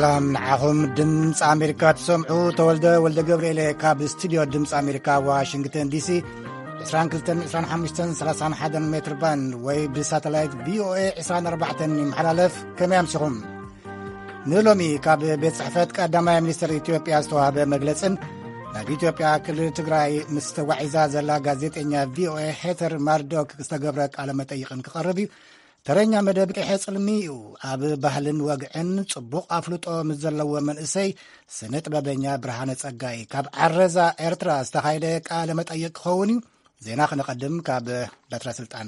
ሰላም ንዓኹም። ድምፂ ኣሜሪካ ትሰምዑ። ተወልደ ወልደ ገብርኤለ ካብ ስቱድዮ ድምፂ ኣሜሪካ ዋሽንግተን ዲሲ። ዕስራን ክልተን፣ ዕስራን ሓሙሽተን፣ ሰላሳን ሓደን ሜትር ባንድ ወይ ብሳተላይት ቪኦኤ ዕስራን ኣርባዕተን ይመሓላለፍ። ከመይ ኣምሲኹም? ንሎሚ ካብ ቤት ጽሕፈት ቀዳማይ ሚኒስትር ኢትዮጵያ ዝተዋህበ መግለጽን ናብ ኢትዮጵያ ክልል ትግራይ ምስ ተጓዒዛ ዘላ ጋዜጠኛ ቪኦኤ ሄተር ማርዶክ ዝተገብረ ቃለ መጠይቕን ክቐርብ እዩ። ተረኛ መደብ ቀይሐ ጽልሚ እዩ። ኣብ ባህልን ወግዕን ጽቡቕ ኣፍልጦ ምስ ዘለዎ መንእሰይ ስነ ጥበበኛ ብርሃነ ጸጋይ ካብ ዓረዛ ኤርትራ ዝተኻየደ ቃለ መጠይቕ ክኸውን እዩ። ዜና ክነቐድም ካብ በትረ ስልጣን።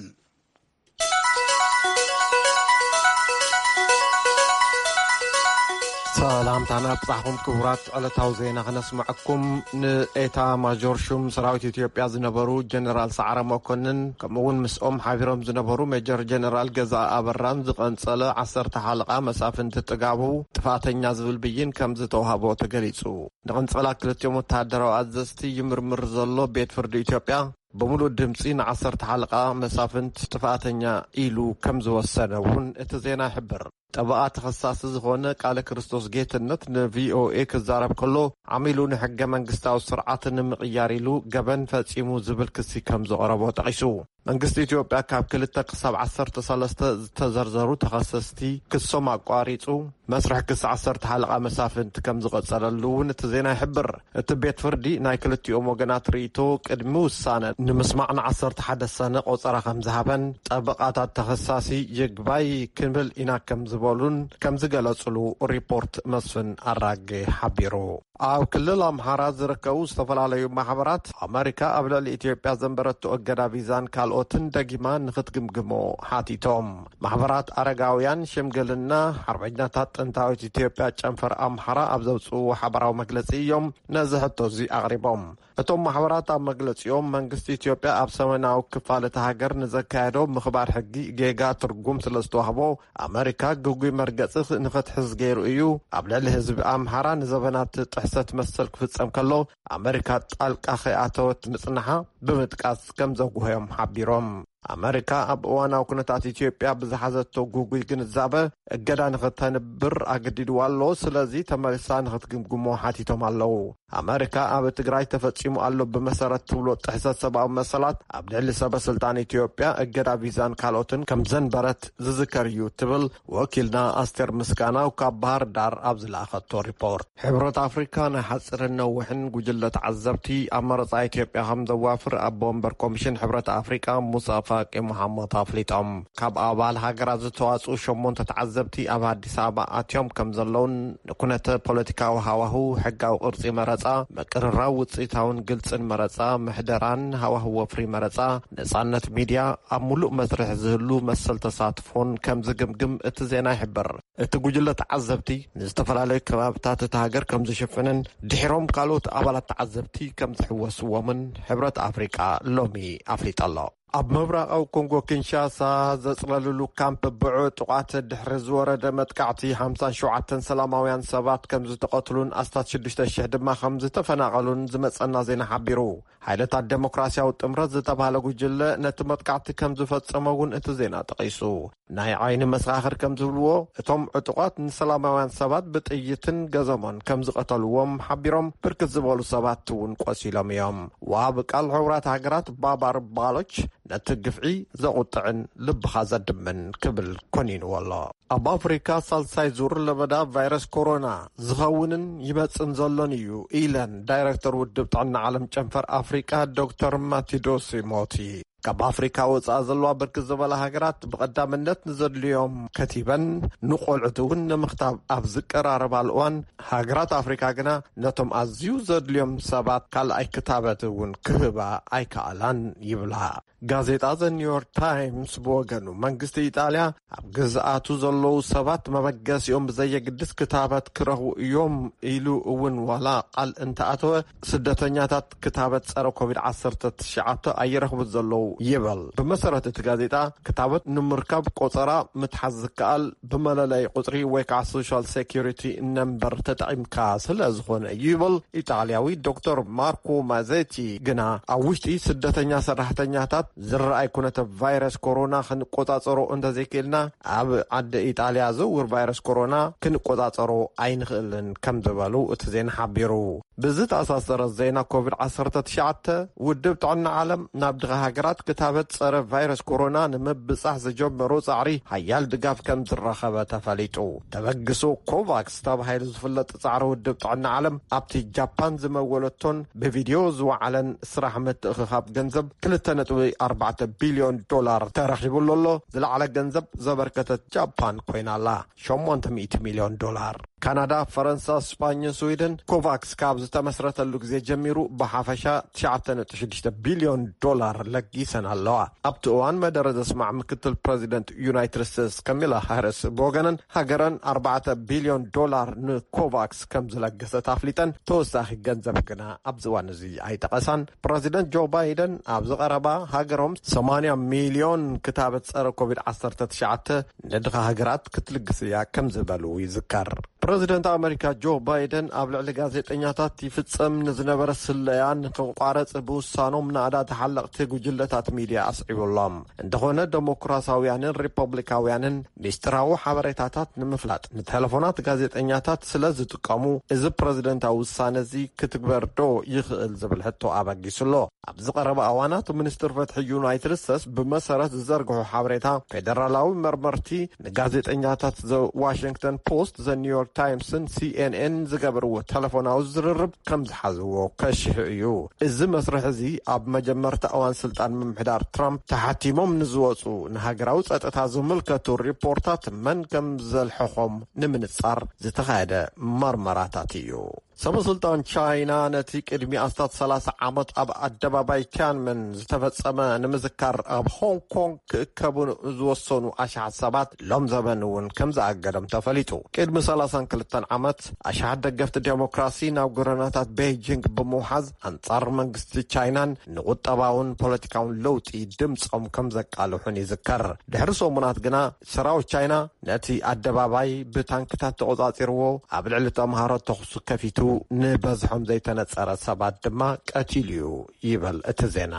ሰላምታና ኣብጻሕኹም ክቡራት። ዕለታዊ ዜና ክነስምዐኩም። ንኤታ ማጆር ሹም ሰራዊት ኢትዮጵያ ዝነበሩ ጀነራል ሰዓረ መኮንን፣ ከምኡ እውን ምስኦም ሓቢሮም ዝነበሩ ሜጀር ጀነራል ገዛ ኣበራን ዝቐንጸለ ዓሰርተ ሓለቓ መሳፍንቲ ጥጋቡ ጥፋተኛ ዝብል ብይን ከም ዝተዋህቦ ተገሊጹ። ንቐንጸላ ክልቲኦም ወተሃደራዊ ኣዘዝቲ ይምርምር ዘሎ ቤት ፍርዲ ኢትዮጵያ፣ ብምሉእ ድምጺ ንዓሰርተ ሓለቓ መሳፍንት ጥፋተኛ ኢሉ ከም ዝወሰነ እውን እቲ ዜና ይሕብር። ጠበቓ ተኸሳሲ ዝኾነ ቃለ ክርስቶስ ጌትነት ንቪኦኤ ክዛረብ ከሎ፣ ዓሚሉ ንሕገ መንግስታዊ ስርዓት ንምቕያር ኢሉ ገበን ፈጺሙ ዝብል ክሲ ከም ዝቐረቦ ጠቒሱ። መንግስቲ ኢትዮጵያ ካብ ክልተ ክሳብ ዓሰርተ ሰለስተ ዝተዘርዘሩ ተኸሰስቲ ክሶም ኣቋሪጹ፣ መስርሕ ክሲ ዓሰርተ ሓለቓ መሳፍንቲ ከም ዝቐጸለሉ እውን እቲ ዜና ይሕብር። እቲ ቤት ፍርዲ ናይ ክልቲኦም ወገናት ርእይቶ ቅድሚ ውሳነ ንምስማዕ ንዓሰርተ ሓደ ሰነ ቆጸራ ከም ዝሃበን ጠበቓታት ተኸሳሲ ይግባይ ክንብል ኢና ከም ዝበሉን ከም ዝገለጹሉ ሪፖርት መስፍን ኣራጌ ሓቢሩ። ኣብ ክልል ኣምሓራ ዝርከቡ ዝተፈላለዩ ማሕበራት፣ ኣመሪካ ኣብ ልዕሊ ኢትዮጵያ ዘንበረቶ እገዳ ቪዛን ካልኦትን ደጊማ ንኽትግምግሞ ሓቲቶም። ማሕበራት ኣረጋውያን፣ ሽምግልና፣ ሓርበኛታት ጥንታዊት ኢትዮጵያ ጨንፈር ኣምሓራ ኣብ ዘውፅእዎ ሓበራዊ መግለፂ እዮም ነዚ ሕቶ እዚ ኣቕሪቦም። እቶም ማሕበራት ኣብ መግለፂኦም፣ መንግስቲ ኢትዮጵያ ኣብ ሰሜናዊ ክፋል እታ ሃገር ንዘካየዶ ምኽባር ሕጊ ጌጋ ትርጉም ስለ ዝተዋህቦ፣ ኣመሪካ ግጉይ መርገጺ ንኽትሕዝ ገይሩ እዩ። ኣብ ልዕሊ ህዝቢ ኣምሓራ ንዘበናት ጥሕሰት መሰል ክፍጸም ከሎ፣ ኣመሪካ ጣልቃ ከይኣተወት ምጽንሓ ብምጥቃስ ከም ዘጉህዮም ሓቢሮም። ኣመሪካ ኣብ እዋናዊ ኩነታት ኢትዮጵያ ብዝሓዘቶ ግጉይ ግንዛበ፣ እገዳ ንኽተንብር ኣገዲድዋ ኣሎ። ስለዚ ተመሊሳ ንኽትግምግሞ ሓቲቶም ኣለዉ። ኣመሪካ ኣብ ትግራይ ተፈጺሙ ኣሎ ብመሰረት ትብሎ ጥሕሰት ሰብኣዊ መሰላት ኣብ ልዕሊ ሰበ ስልጣን ኢትዮጵያ እገዳ ቪዛን ካልኦትን ከም ዘንበረት ዝዝከር እዩ ትብል ወኪልና ኣስቴር ምስጋናው ካብ ባህር ዳር ኣብ ዝለኣኸቶ ሪፖርት። ሕብረት ኣፍሪካ ናይ ሓፂርን ነዊሕን ጉጅለ ተዓዘብቲ ኣብ መረፃ ኢትዮጵያ ከም ዘዋፍር ኣቦ ወንበር ኮሚሽን ሕብረት ኣፍሪካ ሙሳ ፋቂ መሓመድ ኣፍሊጦም። ካብ ኣባል ሃገራት ዝተዋፅኡ ሸሞንተ ተዓዘብቲ ኣብ ኣዲስ ኣበባ ኣትዮም ከም ዘለውን ንኩነተ ፖለቲካዊ ሃዋህው፣ ሕጋዊ ቅርጺ መረጻ፣ ምቅርራብ ውጽኢታውን ግልጽን መረጻ፣ ምሕደራን ሃዋህው ወፍሪ መረጻ፣ ነጻነት ሚድያ፣ ኣብ ሙሉእ መስርሕ ዝህሉ መሰል ተሳትፎን ከም ዝግምግም እቲ ዜና ይሕብር። እቲ ጉጅለ ተዓዘብቲ ንዝተፈላለዩ ከባብታት እታ ሃገር ከም ዝሽፍንን ድሒሮም ካልኦት ኣባላት ተዓዘብቲ ከም ዝሕወስዎምን ሕብረት ኣፍሪቃ ሎሚ ኣፍሊጡ ኣሎ። ኣብ ምብራቓዊ ኮንጎ ኪንሻሳ ዘጽለልሉ ካምፕ ብዕጡቓት ድሕሪ ዝወረደ መጥቃዕቲ፣ ሓምሳን ሸውዓተን ሰላማውያን ሰባት ከም ዝተቐትሉን ኣስታት ሽዱሽተ ሽሕ ድማ ከም ዝተፈናቐሉን ዝመጸና ዜና ሓቢሩ። ሓይልታት ደሞክራሲያዊ ጥምረት ዝተባህለ ጉጅለ ነቲ መጥቃዕቲ ከም ዝፈጸመ እውን እቲ ዜና ጠቒሱ። ናይ ዓይኒ መሰኻኽር ከም ዝብልዎ፣ እቶም ዕጡቓት ንሰላማውያን ሰባት ብጥይትን ገዘሞን ከም ዝቐተልዎም ሓቢሮም፣ ብርክት ዝበሉ ሰባት እውን ቆሲሎም እዮም። ወሃቢ ቃል ሕቡራት ሃገራት ባባር ባሎች ነቲ ግፍዒ ዘቑጥዕን ልብኻ ዘድምን ክብል ኮኒንዎ ኣሎ። ኣብ ኣፍሪካ ሳልሳይ ዙር ለበዳ ቫይረስ ኮሮና ዝኸውንን ይመጽን ዘሎን እዩ ኢለን ዳይረክተር ውድብ ጥዕና ዓለም ጨንፈር ኣፍሪካ ዶክተር ማቲዶሲ ሞቲ። ካብ ኣፍሪካ ወፃኢ ዘለዋ ብርክት ዝበላ ሃገራት ብቐዳምነት ንዘድልዮም ከቲበን፣ ንቆልዑት እውን ንምኽታብ ኣብ ዝቀራረባሉ እዋን፣ ሃገራት ኣፍሪካ ግና ነቶም ኣዝዩ ዘድልዮም ሰባት ካልኣይ ክታበት እውን ክህባ ኣይከኣላን ይብላ። ጋዜጣ ዘ ኒውዮርክ ታይምስ ብወገኑ፣ መንግስቲ ኢጣልያ ኣብ ግዝኣቱ ዘለዉ ሰባት መበገሲኦም ብዘየግድስ ክታበት ክረኽቡ እዮም ኢሉ እውን ዋላ ቃል እንተኣተወ፣ ስደተኛታት ክታበት ጸረ ኮቪድ ዓሰርተ ትሽዓተ ኣይረኽቡን ዘለዉ ይብል። ብመሰረት እቲ ጋዜጣ፣ ክታበት ንምርካብ ቆጸራ ምትሓዝ ዝከኣል ብመለለይ ቁጽሪ ወይ ከዓ ሶሻል ሴኩሪቲ ነምበር ተጠቒምካ ስለ ዝኾነ እዩ ይብል። ኢጣልያዊ ዶክተር ማርኮ ማዜቲ ግና፣ ኣብ ውሽጢ ስደተኛ ሰራሕተኛታት ዝረኣይ ኩነተ ቫይረስ ኮሮና ክንቆጻጸሮ እንተዘይክእልና፣ ኣብ ዓዲ ኢጣልያ ዝውር ቫይረስ ኮሮና ክንቆጻጸሮ ኣይንኽእልን ከም ዝበሉ እቲ ዜና ሓቢሩ። ብዝተኣሳሰረ ዜና፣ ኮቪድ ዓሰርተ ትሽዓተ፣ ውድብ ጥዕና ዓለም ናብ ድኻ ሃገራት ክታበት ጸረ ቫይረስ ኮሮና ንምብጻሕ ዝጀመሮ ጻዕሪ ሓያል ድጋፍ ከም ዝረኸበ ተፈሊጡ። ተበግሶ ኮቫክስ ተባሂሉ ዝፍለጥ ጻዕሪ ውድብ ጥዕና ዓለም፣ ኣብቲ ጃፓን ዝመወለቶን ብቪድዮ ዝወዓለን ስራሕ ምትእኽኻብ ገንዘብ ክልተ ነጥቢ ኣርባዕተ ቢልዮን ዶላር ተረኺቡሉ ኣሎ። ዝለዓለ ገንዘብ ዘበርከተት ጃፓን ኮይና ኣላ። ሸሞንተ ሚእቲ ሚልዮን ዶላር። ካናዳ፣ ፈረንሳ፣ ስጳኝን ስዊድን ኮቫክስ ካብ ዝተመስረተሉ ግዜ ጀሚሩ ብሓፈሻ ትሽዓተ ነጥቢ ሽዱሽተ ቢልዮን ዶላር ለጊሰን ኣለዋ። ኣብቲ እዋን መደረ ዘስማዕ ምክትል ፕረዚደንት ዩናይትድ ስቴትስ ካሚላ ሃሪስ ብወገነን፣ ሃገረን ኣርባዕተ ቢልዮን ዶላር ንኮቫክስ ከም ዝለገሰት ኣፍሊጠን፣ ተወሳኺ ገንዘብ ግና ኣብዚ እዋን እዚ ኣይጠቐሳን። ፕረዚደንት ጆ ባይደን ኣብዚ ቀረባ፣ ሃገሮም ሰማንያ ሚልዮን ክታበት ጸረ ኮቪድ ዓሰርተ ትሽዓተ ንድኻ ሃገራት ክትልግስ እያ ከም ዝበሉ ይዝከር። ፕረዚደንት ኣመሪካ ጆ ባይደን ኣብ ልዕሊ ጋዜጠኛታት ይፍጸም ንዝነበረ ስለያ ንክቋረጽ ብውሳኖም፣ ናእዳ ተሓለቕቲ ጉጅለታት ሚድያ ኣስዒቡሎም። እንተኾነ፣ ደሞክራሳውያንን ሪፐብሊካውያንን ሚስጥራዊ ሓበሬታታት ንምፍላጥ ንቴሌፎናት ጋዜጠኛታት ስለ ዝጥቀሙ፣ እዚ ፕረዚደንታዊ ውሳነ እዚ ክትግበር ዶ ይኽእል ዝብል ሕቶ ኣበጊሱ ኣሎ። ኣብዚ ቀረባ እዋናት፣ ሚኒስትር ፍትሒ ዩናይትድ ስቴትስ ብመሰረት ዝዘርግሑ ሓበሬታ፣ ፌደራላዊ መርመርቲ ንጋዜጠኛታት ዘ ዋሽንግተን ፖስት፣ ዘ ኒውዮርክ ታይምስን ሲ ኤን ኤን ዝገበርዎ ቴሌፎናዊ ዝርርብ ከም ዝሓዝዎ ከሽሑ እዩ። እዚ መስርሕ እዚ ኣብ መጀመርታ እዋን ስልጣን ምምሕዳር ትራምፕ ተሓቲሞም ንዝወፁ ንሃገራዊ ጸጥታ ዝምልከቱ ሪፖርታት መን ከም ዘልሐኾም ንምንጻር ዝተኻየደ መርመራታት እዩ። ሰበ-ስልጣን ቻይና ነቲ ቅድሚ ኣስታት ሰላሳ ዓመት ኣብ ኣደባባይ ቲያንመን ዝተፈጸመ ንምዝካር ኣብ ሆንግ ኮንግ ክእከቡ ዝወሰኑ ኣሽሓት ሰባት ሎም ዘበን እውን ከም ዝኣገዶም ተፈሊጡ። ቅድሚ ሰላሳን ክልተን ዓመት ኣሽሓት ደገፍቲ ዴሞክራሲ ናብ ጎደናታት ቤይጂንግ ብምውሓዝ ኣንጻር መንግስቲ ቻይናን ንቁጠባውን ፖለቲካውን ለውጢ ድምጾም ከም ዘቃልሑን ይዝከር። ድሕሪ ሰሙናት ግና ሰራዊት ቻይና ነቲ ኣደባባይ ብታንክታት ተቖጻጺርዎ፣ ኣብ ልዕሊ ተምሃሮ ተኹሲ ከፊቱ ንበዝሖም ዘይተነጸረ ሰባት ድማ ቀቲሉ እዩ ይብል እቲ ዜና።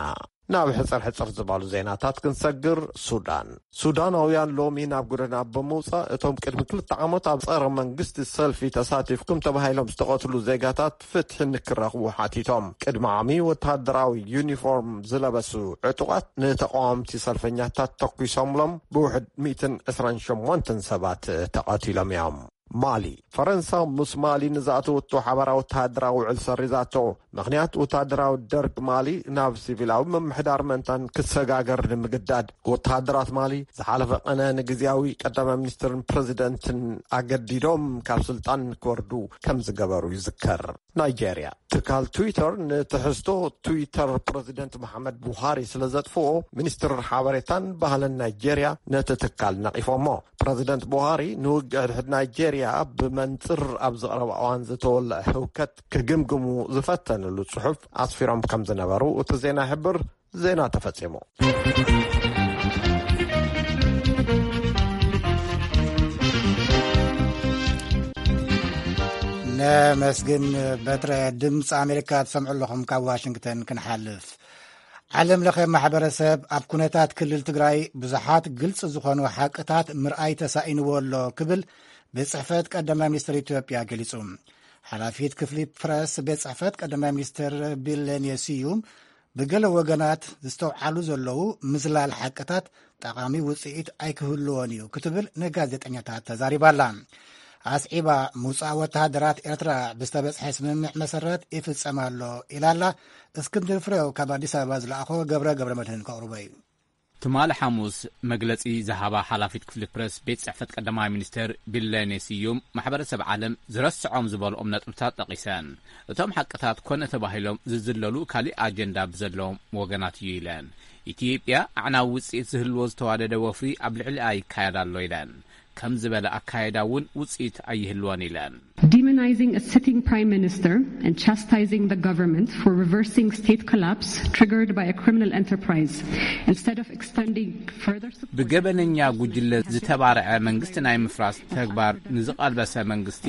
ናብ ሕጽር ሕጽር ዝበሉ ዜናታት ክንሰግር። ሱዳን። ሱዳናውያን ሎሚ ናብ ጎደና ብምውጻእ፣ እቶም ቅድሚ ክልተ ዓመት ኣብ ጸረ መንግስቲ ሰልፊ ተሳቲፍኩም ተባሂሎም ዝተቐትሉ ዜጋታት ፍትሒ ንክረኽቡ ሓቲቶም። ቅድሚ ዓሚ፣ ወተሃደራዊ ዩኒፎርም ዝለበሱ ዕጡቓት ንተቓወምቲ ሰልፈኛታት ተኲሶምሎም፣ ብውሕድ ሚእትን ዕስራን ሸሞንተን ሰባት ተቐቲሎም እዮም። ማሊ። ፈረንሳ ምስ ማሊ ንዝኣተወቶ ሓባራዊ ወተሃደራዊ ውዕል ሰሪዛቶ። ምኽንያት፣ ወተሃደራዊ ደርግ ማሊ ናብ ሲቪላዊ ምምሕዳር ምእንታን ክሰጋገር ንምግዳድ። ወተሃደራት ማሊ ዝሓለፈ ቀነ ንግዝያዊ ቀዳማይ ሚኒስትርን ፕረዚደንትን ኣገዲዶም ካብ ስልጣን ክወርዱ ከም ዝገበሩ ይዝከር። ናይጄርያ። ትካል ትዊተር ንትሕዝቶ ትዊተር ፕረዚደንት መሓመድ ቡሃሪ ስለ ዘጥፍኦ፣ ሚኒስትር ሓበሬታን ባህልን ናይጄርያ ነቲ ትካል ነቒፎሞ። ፕረዚደንት ቡሃሪ ንውግእ ሕድሕድ ናይጄርያ ብመንጽር ኣብ ዝቐረበ እዋን ዝተወልዐ ህውከት ክግምግሙ ዝፈተንሉ ጽሑፍ ኣስፊሮም ከም ዝነበሩ እቲ ዜና ይሕብር። ዜና ተፈጺሙ። ነመስግን። በትረ ድምፂ ኣሜሪካ ትሰምዑ ኣለኹም። ካብ ዋሽንግተን ክንሓልፍ፣ ዓለም ለኸ ማሕበረሰብ ኣብ ኩነታት ክልል ትግራይ ብዙሓት ግልፂ ዝኾኑ ሓቅታት ምርኣይ ተሳኢንዎ ኣሎ ክብል ቤት ጽሕፈት ቀዳማይ ሚኒስትር ኢትዮጵያ ገሊጹ። ሓላፊት ክፍሊ ፕረስ ቤት ጽሕፈት ቀዳማይ ሚኒስትር ቢለኔ ስዩም፣ ብገለ ወገናት ዝተውዓሉ ዘለዉ ምዝላል ሓቅታት ጠቓሚ ውጽኢት ኣይክህልዎን እዩ ክትብል ንጋዜጠኛታት ተዛሪባ ኣላ። ኣስዒባ፣ ምውጻእ ወተሃደራት ኤርትራ ብዝተበጽሐ ስምምዕ መሰረት ይፍጸም ኣሎ ኢላ ኣላ። እስክንድር ፍሬው ካብ ኣዲስ ኣበባ ዝለኣኾ ገብረ ገብረ መድህን ከቕርቦ እዩ። ትማሊ ሓሙስ መግለጺ ዝሃባ ሓላፊት ክፍሊ ፕረስ ቤት ጽሕፈት ቀዳማይ ሚኒስትር ቢለኔ ስዩም፣ ማሕበረሰብ ዓለም ዝረስዖም ዝበልኦም ነጥብታት ጠቒሰን፣ እቶም ሓቅታት ኮነ ተባሂሎም ዝዝለሉ ካሊእ ኣጀንዳ ብዘለዎም ወገናት እዩ ኢለን። ኢትዮጵያ ኣዕናዊ ውጽኢት ዝህልዎ ዝተዋደደ ወፍሪ ኣብ ልዕሊኣ ይካየድ ኣሎ ኢለን። ከም ዝበለ ኣካየዳ እውን ውጽኢት ኣይህልወን ኢለን። Demonizing a sitting prime minister and chastising the government for reversing state collapse triggered by a criminal enterprise instead of extending further support. ብገበነኛ ጉጅለ ዝተባርዐ መንግስቲ ናይ ምፍራስ ተግባር ንዝቐልበሰ መንግስቲ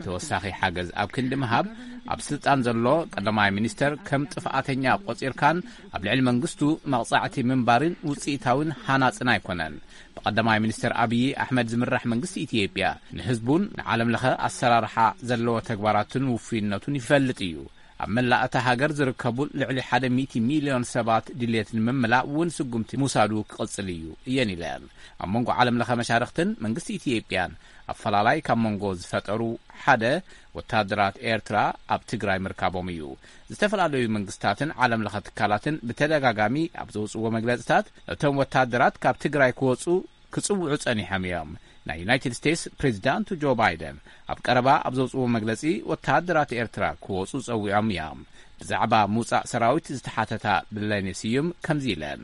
ተወሳኺ ሓገዝ ኣብ ክንዲ ምሃብ፣ ኣብ ስልጣን ዘሎ ቀዳማይ ሚኒስተር ከም ጥፍኣተኛ ቆጺርካን ኣብ ልዕሊ መንግስቱ መቕጻዕቲ ምንባርን ውጽኢታውን ሃናጽን ኣይኮነን። ብቀዳማይ ሚኒስተር ኣብዪ ኣሕመድ ዝምራሕ መንግስቲ ኢትዮጵያ ንህዝቡን ንዓለም ለኸ ኣሰራርሓ ዘለዎ ተግባራትን ውፉይነቱን ይፈልጥ እዩ። ኣብ መላእ እታ ሃገር ዝርከቡ ልዕሊ ሓደ ሚእቲ ሚልዮን ሰባት ድሌት ንምምላእ እውን ስጉምቲ ምውሳዱ ክቕጽል እዩ እየን ኢለን። ኣብ መንጎ ዓለም ለኸ መሻርኽትን መንግስቲ ኢትዮጵያን ኣፈላላይ ካብ መንጎ ዝፈጠሩ ሓደ ወታደራት ኤርትራ ኣብ ትግራይ ምርካቦም እዩ። ዝተፈላለዩ መንግስታትን ዓለም ለኸ ትካላትን ብተደጋጋሚ ኣብ ዘውፅዎ መግለፅታት እቶም ወታደራት ካብ ትግራይ ክወፁ ክጽውዑ ጸኒሖም እዮም። ናይ ዩናይትድ ስቴትስ ፕሬዚዳንቱ ጆ ባይደን ኣብ ቀረባ ኣብ ዘውፅዎ መግለጺ ወተሃደራት ኤርትራ ክወጹ ጸዊዖም እዮም። ብዛዕባ ምውጻእ ሰራዊት ዝተሓተታ ብለኔ ስዩም ከምዚ ኢለን።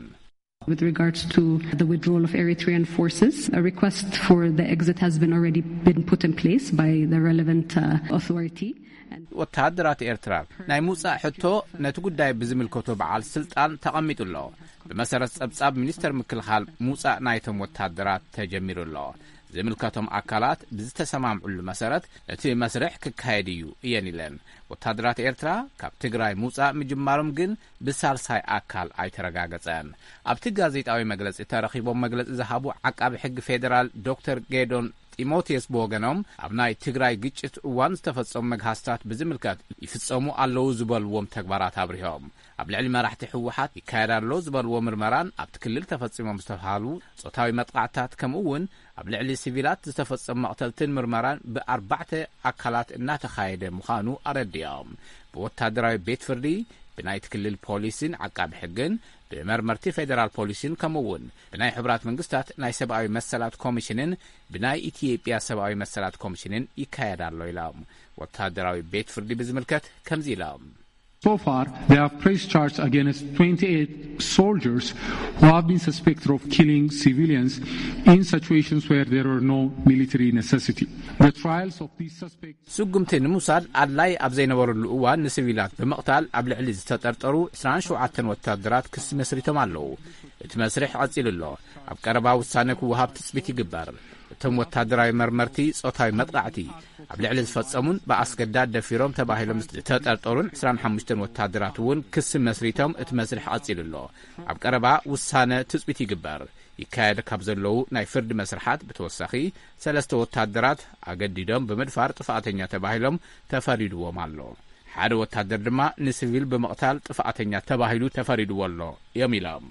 With regards to the withdrawal of Eritrean forces, a request for the exit has been already been put in place by the relevant uh, authority. ወተሃደራት ኤርትራ ናይ ምውጻእ ሕቶ ነቲ ጉዳይ ብዝምልከቶ በዓል ስልጣን ተቐሚጡ ኣሎ። ብመሰረት ጸብጻብ ሚኒስተር ምክልኻል ምውጻእ ናይቶም ወተሃደራት ተጀሚሩ ኣሎ። ዝምልከቶም ኣካላት ብዝተሰማምዑሉ መሰረት እቲ መስርሕ ክካየድ እዩ እየን ኢለን። ወተሃደራት ኤርትራ ካብ ትግራይ ምውጻእ ምጅማሮም ግን ብሳልሳይ ኣካል ኣይተረጋገጸን። ኣብቲ ጋዜጣዊ መግለጺ ተረኺቦም መግለጺ ዝሃቡ ዓቃቢ ሕጊ ፌዴራል ዶክተር ጌዶን ጢሞቴዎስ ብወገኖም ኣብ ናይ ትግራይ ግጭት እዋን ዝተፈጸሙ መግሃስታት ብዝምልከት ይፍጸሙ ኣለዉ ዝበልዎም ተግባራት ኣብሪሆም። ኣብ ልዕሊ መራሕቲ ህወሓት ይካየድ ኣሎ ዝበልዎ ምርመራን ኣብቲ ክልል ተፈጺሞም ዝተባሃሉ ጾታዊ መጥቃዕታት ከምኡ እውን ኣብ ልዕሊ ሲቪላት ዝተፈጸሙ መቕተልትን ምርመራን ብኣርባዕተ ኣካላት እናተኻየደ ምዃኑ ኣረዲኦም። ብወታደራዊ ቤት ፍርዲ፣ ብናይቲ ክልል ፖሊስን ዓቃቢ ሕግን፣ ብመርመርቲ ፌዴራል ፖሊስን ከምኡ እውን ብናይ ሕቡራት መንግስታት ናይ ሰብኣዊ መሰላት ኮሚሽንን ብናይ ኢትዮጵያ ሰብኣዊ መሰላት ኮሚሽንን ይካየድ ኣሎ ኢሎም። ወታደራዊ ቤት ፍርዲ ብዝምልከት ከምዚ ኢሎም። So far, they have pressed charge against twenty-eight soldiers who have been suspected of killing civilians in situations where there were no military necessity. The trials of these suspects ስጉምቲ ንምውሳድ ኣድላይ ኣብ ዘይነበረሉ እዋን ንሲቪላት ብምቕታል ኣብ ልዕሊ ዝተጠርጠሩ ዕስራን ሸውዓተን ወታደራት ክሲ መስሪቶም ኣለዉ። እቲ መስርሕ ቀጺሉ ኣሎ። ኣብ ቀረባ ውሳነ ክወሃብ ትጽቢት ይግበር። እቶም ወታደራዊ መርመርቲ ጾታዊ መጥቃዕቲ ኣብ ልዕሊ ዝፈጸሙን ብኣስገዳድ ደፊሮም ተባሂሎም ዝተጠርጠሩን ዕስራን ሓሙሽተን ወታደራት እውን ክሲ መስሪቶም እቲ መስርሕ ቀጺሉ ኣሎ። ኣብ ቀረባ ውሳነ ትጽቢት ይግበር። ይካየድ ካብ ዘለዉ ናይ ፍርዲ መስርሓት ብተወሳኺ ሰለስተ ወታደራት ኣገዲዶም ብምድፋር ጥፍኣተኛ ተባሂሎም ተፈሪድዎም ኣሎ። ሓደ ወታደር ድማ ንሲቪል ብምቕታል ጥፍኣተኛ ተባሂሉ ተፈሪድዎ ኣሎ እዮም ኢሎም።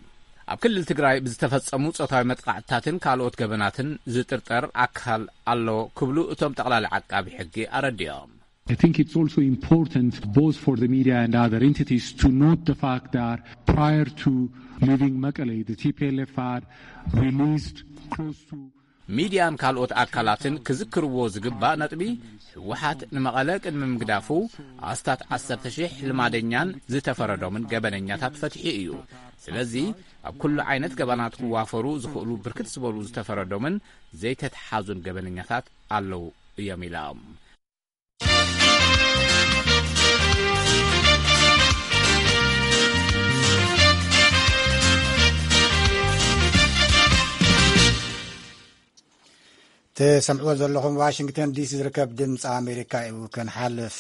ኣብ ክልል ትግራይ ብዝተፈጸሙ ጾታዊ መጥቃዕትታትን ካልኦት ገበናትን ዝጥርጠር ኣካል ኣሎ ክብሉ እቶም ጠቕላሊ ዓቃቢ ሕጊ ኣረዲኦም። I think it's also important, both for the media and other entities, to note the fact that prior to leaving Mekelle, the T P L F had released close to ሚድያን ካልኦት ኣካላትን ክዝክርዎ ዝግባእ ነጥቢ፣ ህወሓት ንመቐለ ቅድሚ ምግዳፉ ኣስታት ዓሰርተ ሺሕ ልማደኛን ዝተፈረዶምን ገበነኛታት ፈትሑ እዩ። ስለዚ ኣብ ኩሉ ዓይነት ገበናት ክዋፈሩ ዝኽእሉ ብርክት ዝበሉ ዝተፈረዶምን ዘይተተሓዙን ገበነኛታት ኣለዉ እዮም ኢሎም። ትሰምዕዎ ዘለኹም ዋሽንግተን ዲሲ ዝርከብ ድምፂ ኣሜሪካ እዩ። ክንሓልፍ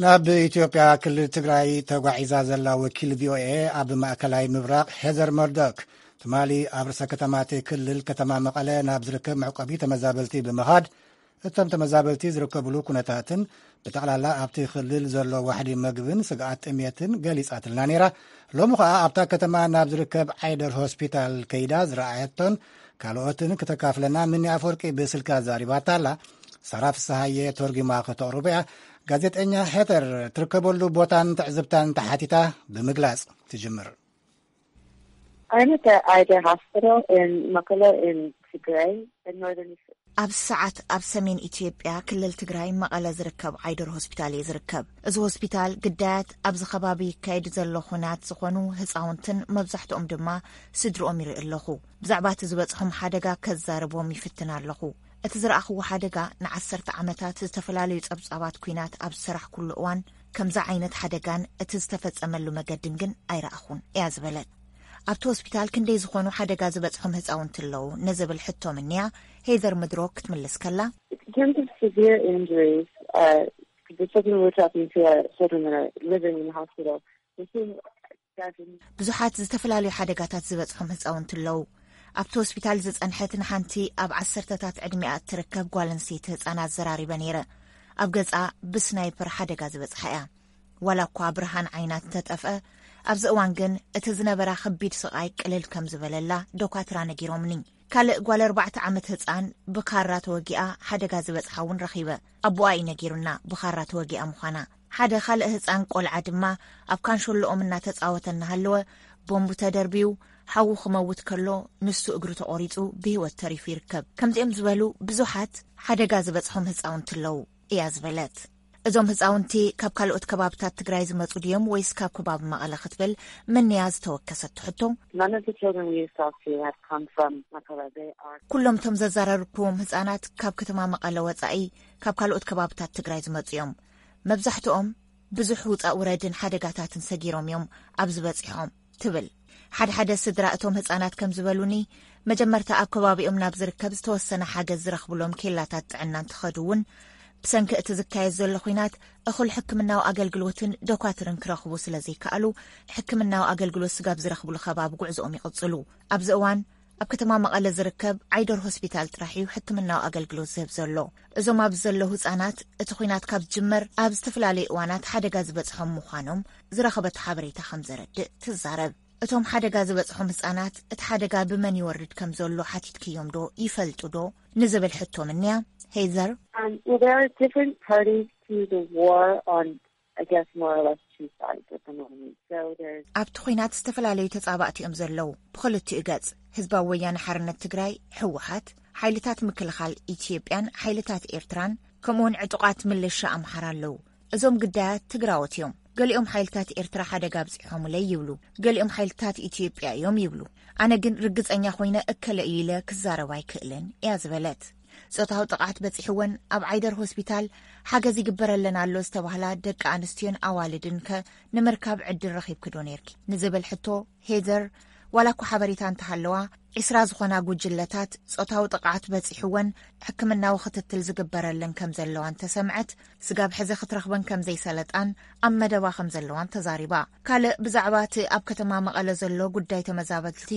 ናብ ኢትዮጵያ ክልል ትግራይ ተጓዒዛ ዘላ ወኪል ቪኦኤ ኣብ ማእከላይ ምብራቕ ሄዘር መርዶክ ትማሊ ኣብ ርእሰ ከተማቲ ክልል ከተማ መቐለ ናብ ዝርከብ መዕቆቢ ተመዛበልቲ ብምኻድ እቶም ተመዛበልቲ ዝርከብሉ ኩነታትን ብጠቕላላ ኣብቲ ክልል ዘሎ ዋሕዲ መግብን ስግኣት ጥሜትን ገሊጻትልና ነይራ። ሎሚ ኸኣ ኣብታ ከተማ ናብ ዝርከብ ዓይደር ሆስፒታል ከይዳ ዝረኣየቶን ካልኦትን ክተካፍለና ምኒ ኣፈወርቂ ብስልኪ ኣዛሪባታ ኣላ። ሳራ ፍስሃየ ተርጉማ ከተቕርቦ እያ። ጋዜጠኛ ሄተር ትርከበሉ ቦታን ትዕዝብታን ተሓቲታ ብምግላጽ ትጅምር። I'm at the Ida Hospital in Mekelle in Tigray, in northern Ethiopia. ኣብ ሰዓት ኣብ ሰሜን ኢትዮጵያ ክልል ትግራይ መቐለ ዝርከብ ዓይደር ሆስፒታል እየ ዝርከብ። እዚ ሆስፒታል ግዳያት ኣብዚ ከባቢ ይካየድ ዘሎ ኹናት ዝኾኑ ህፃውንትን መብዛሕትኦም ድማ ስድርኦም ይርኢ ኣለኹ። ብዛዕባ እቲ ዝበፅሖም ሓደጋ ከዛርቦም ይፍትን ኣለኹ። እቲ ዝረኣኽዎ ሓደጋ ንዓሰርተ ዓመታት ዝተፈላለዩ ጸብጻባት ኲናት ኣብ ዝሰራሕኩሉ እዋን ከምዚ ዓይነት ሓደጋን እቲ ዝተፈጸመሉ መገድን ግን ኣይረኣኹን እያ ዝበለት። ኣብቲ ሆስፒታል ክንደይ ዝኾኑ ሓደጋ ዝበጽሖም ህጻውንቲ ኣለዉ ንዝብል ሕቶ ምንያ ሄዘር ምድሮ ክትምልስ ከላ፣ In terms of severe injuries, uh, the children we're talking to are children that are living in the hospital. We're seeing seven. ብዙሓት ዝተፈላለዩ ሓደጋታት ዝበጽሖም ህጻውንቲ ኣለዉ። ኣብቲ ሆስፒታል ዝጸንሐት ንሓንቲ ኣብ ዓሰርተታት ዕድሚኣ እትርከብ ጓል ኣንስተይቲ ህጻን ኣዘራሪበ ነይረ። ኣብ ገጻ ብስናይፐር ሓደጋ ዝበጽሓ እያ። ዋላ እኳ ብርሃን ዓይና እንተጠፍአ፣ ኣብዚ እዋን ግን እቲ ዝነበራ ከቢድ ስቓይ ቅልል ከም ዝበለላ ዶኳትራ ነጊሮምኒ። ካልእ ጓል ኣርባዕተ ዓመት ህጻን ብካራ ተወጊኣ ሓደጋ ዝበጽሓ እውን ረኺበ። ኣቦኣ እዩ ነጊሩና ብኻራ ተወጊኣ ምዃና። ሓደ ካልእ ህጻን ቆልዓ ድማ ኣብ ካንሾሎኦም እናተጻወተ እናሃለወ ቦምቡ ተደርብዩ ሓዉ ክመውት ከሎ ንሱ እግሩ ተቖሪጹ ብህይወት ተሪፉ ይርከብ። ከምዚኦም ዝበሉ ብዙሓት ሓደጋ ዝበጽሖም ህጻውንቲ ኣለዉ እያ ዝበለት። እዞም ህጻውንቲ ካብ ካልኦት ከባብታት ትግራይ ዝመጹ ድዮም ወይስ ካብ ከባቢ መቐለ ክትብል ምንያ ዝተወከሰት ሕቶ፣ None of the children we talked to have come from Makala. They are ኩሎም እቶም ዘዘራረብኩዎም ህጻናት ካብ ከተማ መቐለ ወጻኢ ካብ ካልኦት ከባብታት ትግራይ ዝመጹ እዮም። መብዛሕትኦም ብዙሕ ውጻእ ውረድን ሓደጋታትን ሰጊሮም እዮም ኣብዚ በጺሖም ትብል። ሓደ ሓደ ስድራ እቶም ህጻናት ከም ዝበሉኒ፣ መጀመርታ ኣብ ከባቢኦም ናብ ዝርከብ ዝተወሰነ ሓገዝ ዝረኽብሎም ኬላታት ጥዕና እንትኸዱ እውን ብሰንኪ እቲ ዝካየድ ዘሎ ኹናት እኹል ሕክምናዊ ኣገልግሎትን ዶኳትርን ክረኽቡ ስለ ዘይከኣሉ፣ ሕክምናዊ ኣገልግሎት ስጋብ ዝረኽብሉ ከባቢ ጉዕዞኦም ይቕጽሉ። ኣብዚ እዋን ኣብ ከተማ መቐለ ዝርከብ ዓይደር ሆስፒታል ጥራሕ እዩ ሕክምናዊ ኣገልግሎት ዝህብ ዘሎ። እዞም ኣብዚ ዘለዉ ህጻናት እቲ ኹናት ካብ ዝጅመር ኣብ ዝተፈላለዩ እዋናት ሓደጋ ዝበጽሖም ምዃኖም ዝረኸበቶ ሓበሬታ ከም ዘረድእ ትዛረብ። እቶም ሓደጋ ዝበጽሖም ህጻናት እቲ ሓደጋ ብመን ይወርድ ከም ዘሎ ሓቲትክዮም ዶ ይፈልጡ ዶ ንዝብል ሕቶ ምንያ ሄዘር፣ Um, well, there are different parties to the war on, I guess, more or less two sides at the moment. So there's ኣብቲ ኹናት ዝተፈላለዩ ተጻባእቲ እዮም ዘለዉ። ብኽልቲኡ ገጽ ህዝባዊ ወያነ ሓርነት ትግራይ ህወሓት፣ ሓይልታት ምክልኻል ኢትዮጵያን ሓይልታት ኤርትራን ከምኡውን ዕጡቓት ምልሻ ኣምሓራ ኣለዉ። እዞም ግዳያት ትግራዎት እዮም። ገሊኦም ሓይልታት ኤርትራ ሓደጋ ኣብጺሖምለይ ይብሉ፣ ገሊኦም ሓይልታት ኢትዮጵያ እዮም ይብሉ። ኣነ ግን ርግጸኛ ኮይነ እከለ እዩ ኢለ ክዛረብ ኣይክእልን እያ ዝበለት። ጾታዊ ጥቕዓት በጺሕወን ኣብ ዓይደር ሆስፒታል ሓገዝ ይግበረለን ኣሎ ዝተባህላ ደቂ ኣንስትዮን ኣዋልድን ከ ንምርካብ ዕድል ረኺብኪ ዶ ነይርኪ ንዝብል ሕቶ ሄዘር፣ ዋላ እኳ ሓበሬታ እንተሃለዋ፣ ዒስራ ዝኾና ጉጅለታት ጾታዊ ጥቕዓት በጺሕወን ሕክምናዊ ክትትል ዝግበረለን ከም ዘለዋ እንተሰምዐት፣ ስጋብ ሕዚ ክትረኽበን ከም ዘይሰለጣን ኣብ መደባ ከም ዘለዋን ተዛሪባ። ካልእ ብዛዕባ እቲ ኣብ ከተማ መቐለ ዘሎ ጉዳይ ተመዛበልቲ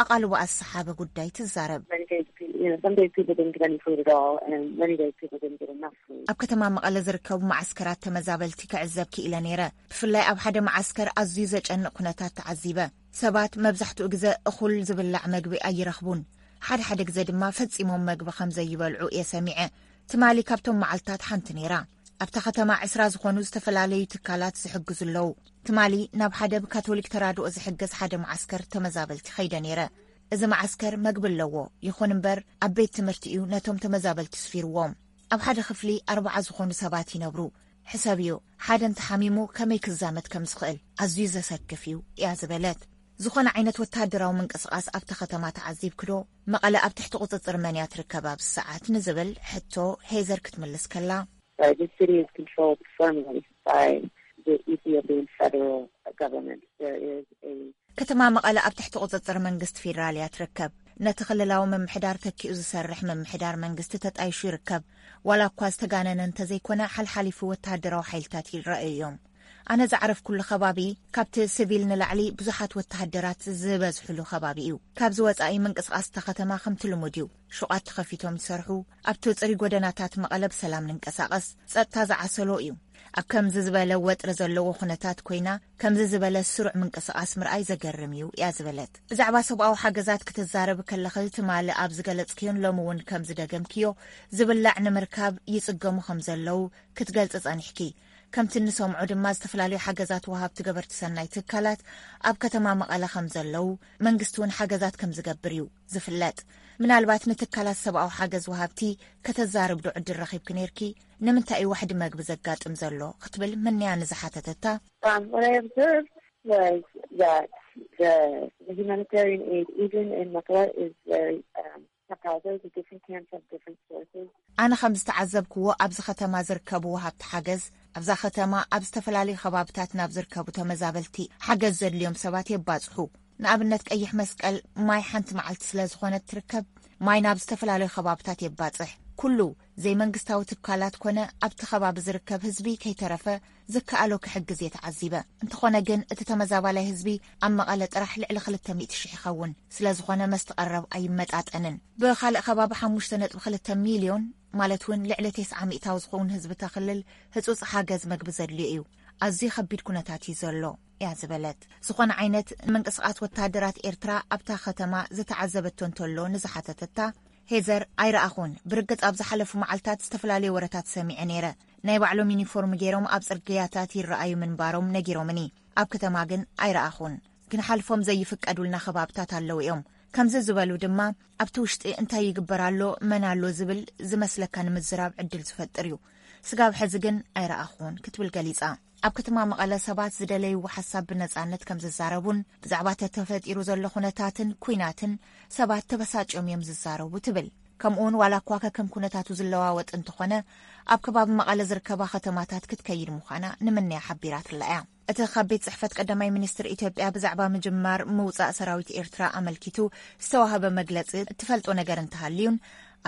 ኣቓልቦኣ ዝሰሓበ ጉዳይ ትዛረብ። Many days, pe- you know, some days people didn't get any food at all, and many days people didn't get enough food. ኣብ ከተማ መቐለ ዝርከቡ መዓስከራት ተመዛበልቲ ክዕዘብ ክኢለ ነይረ። ብፍላይ ኣብ ሓደ መዓስከር ኣዝዩ ዘጨንቕ ኩነታት ተዓዚበ። ሰባት መብዛሕትኡ ግዘ እኹል ዝብላዕ መግቢ ኣይረኽቡን። ሓደ ሓደ ግዘ ድማ ፈጺሞም መግቢ ከም ዘይበልዑ እየ ሰሚዐ። ትማሊ ካብቶም መዓልታት ሓንቲ ነይራ። ኣብታ ከተማ ዕስራ ዝኾኑ ዝተፈላለዩ ትካላት ዝሕግዙ ኣለዉ። ትማሊ ናብ ሓደ ብካቶሊክ ተራድኦ ዝሕገዝ ሓደ መዓስከር ተመዛበልቲ ኸይደ ነይረ። እዚ መዓስከር መግቢ ኣለዎ፣ ይኹን እምበር ኣብ ቤት ትምህርቲ እዩ ነቶም ተመዛበልቲ ስፊርዎም። ኣብ ሓደ ክፍሊ ኣርባዓ ዝኾኑ ሰባት ይነብሩ። ሕሰብዮ፣ ሓደ እንተሓሚሙ ከመይ ክዛመት ከም ዝኽእል ኣዝዩ ዘሰክፍ እዩ እያ ዝበለት። ዝኾነ ዓይነት ወተሃደራዊ ምንቅስቓስ ኣብታ ከተማ ተዓዚብክዶ? መቐለ ኣብ ትሕቲ ቁጽጽር መን እያ ትርከብ ኣብዚ ሰዓት ንዝብል ሕቶ ሄዘር ክትምልስ ከላ፣ Right, the city is controlled firmly by the Ethiopian federal government. There is a ከተማ መቐለ ኣብ ትሕቲ ቁጽጽር መንግስቲ ፌደራል እያ ትርከብ። ነቲ ክልላዊ ምምሕዳር ተኪኡ ዝሰርሕ ምምሕዳር መንግስቲ ተጣይሹ ይርከብ። ዋላ እኳ ዝተጋነነ እንተዘይኮነ፣ ሓልሓሊፉ ወተሃደራዊ ሓይልታት ይረኣዩ እዮም። ኣነ ዝዓረፍኩሉ ከባቢ ካብቲ ስቪል ንላዕሊ ብዙሓት ወተሃደራት ዝበዝሕሉ ከባቢ እዩ። ካብዚ ወጻኢ ምንቅስቓስ እታ ከተማ ከምቲ ልሙድ እዩ። ሹቓት ተኸፊቶም ይሰርሑ። ኣብቲ ጽሩይ ጎደናታት መቐለ ብሰላም ንንቀሳቐስ። ጸጥታ ዝዓሰሎ እዩ። ኣብ ከምዚ ዝበለ ወጥሪ ዘለዎ ኩነታት ኮይና ከምዚ ዝበለ ስሩዕ ምንቅስቓስ ምርኣይ ዘገርም እዩ እያ ዝበለት። ብዛዕባ ሰብኣዊ ሓገዛት ክትዛረብ ከለኺ ትማሊ ኣብ ዝገለጽክዮን ሎሚ እውን ከም ዝደገምክዮ ዝብላዕ ንምርካብ ይጽገሙ ከም ዘለዉ ክትገልጺ ጸኒሕኪ። ከምቲ እንሰምዖ ድማ ዝተፈላለዩ ሓገዛት ወሃብቲ ገበርቲ ሰናይ ትካላት ኣብ ከተማ መቐለ ከም ዘለዉ መንግስቲ እውን ሓገዛት ከም ዝገብር እዩ ዝፍለጥ። ምናልባት ንትካላት ሰብኣዊ ሓገዝ ወሃብቲ ከተዛርብ ዶ ዕድል ረኺብኪ ነይርኪ? ንምንታይ እዩ ዋሕዲ መግቢ ዘጋጥም ዘሎ ክትብል ምንያ ንዝሓተተታ፣ Um, what I observed was that the, the humanitarian aid, even in Makala, is very um, Happy Valley, the different camps have different sources. ኣነ ከም ዝተዓዘብክዎ ኣብዚ ከተማ ዝርከቡ ወሃብቲ ሓገዝ ኣብዛ ከተማ ኣብ ዝተፈላለዩ ከባብታት ናብ ዝርከቡ ተመዛበልቲ ሓገዝ ዘድልዮም ሰባት የባፅሑ። ንኣብነት ቀይሕ መስቀል ማይ ሓንቲ መዓልቲ ስለ ዝኾነት ትርከብ ማይ ናብ ዝተፈላለዩ ከባብታት የባፅሕ። ኩሉ ዘይመንግስታዊ ትካላት ኮነ ኣብቲ ከባቢ ዝርከብ ህዝቢ ከይተረፈ ዝከኣሎ ክሕግዝ እየ ተዓዚበ። እንተኾነ ግን እቲ ተመዛባላይ ህዝቢ ኣብ መቐለ ጥራሕ ልዕሊ ክልተ ሚእቲ ሽሕ ይኸውን። ስለ ዝኾነ መስቲ ቀረብ ኣይመጣጠንን። ብኻልእ ከባቢ ሓሙሽተ ነጥቢ ክልተ ሚልዮን ማለት እውን ልዕሊ ተስዓ ሚእታዊ ዝኸውን ህዝቢ ተኽልል ህጹጽ ሓገዝ መግቢ ዘድልዮ እዩ። ኣዝዩ ከቢድ ኩነታት እዩ ዘሎ እያ ዝበለት። ዝኾነ ዓይነት ምንቅስቓስ ወተሃደራት ኤርትራ ኣብታ ከተማ ዝተዓዘበቶ እንተሎ ንዝሓተተታ ሄዘር ኣይረኣኹን። ብርግጽ ኣብ ዝሓለፉ መዓልታት ዝተፈላለዩ ወረታት ሰሚዐ ነይረ። ናይ ባዕሎም ዩኒፎርም ገይሮም ኣብ ጽርግያታት ይረኣዩ ምንባሮም ነጊሮምኒ። ኣብ ከተማ ግን ኣይረኣኹን። ክንሓልፎም ዘይፍቀዱልና ከባብታት ኣለዉ እዮም። ከምዚ ዝበሉ ድማ ኣብቲ ውሽጢ እንታይ ይግበር ኣሎ፣ መን ኣሎ ዝብል ዝመስለካ ንምዝራብ ዕድል ዝፈጥር እዩ። ስጋብ ሕዚ ግን ኣይረኣኹን ክትብል ገሊጻ። ኣብ ከተማ መቐለ ሰባት ዝደለይዎ ሓሳብ ብነጻነት ከም ዝዛረቡን ብዛዕባ ተተፈጢሩ ዘሎ ኩነታትን ኩናትን ሰባት ተበሳጭዮም እዮም ዝዛረቡ ትብል። ከምኡውን ዋላ እኳ ከከም ኩነታቱ ዝለዋወጥ እንተኾነ ኣብ ከባቢ መቐለ ዝርከባ ከተማታት ክትከይድ ምዃና ንምንያ ሓቢራትላ እያ። እቲ ካብ ቤት ጽሕፈት ቀዳማይ ሚኒስትር ኢትዮጵያ ብዛዕባ ምጅማር ምውጻእ ሰራዊት ኤርትራ ኣመልኪቱ ዝተዋህበ መግለጺ እትፈልጦ ነገር እንተሃልዩን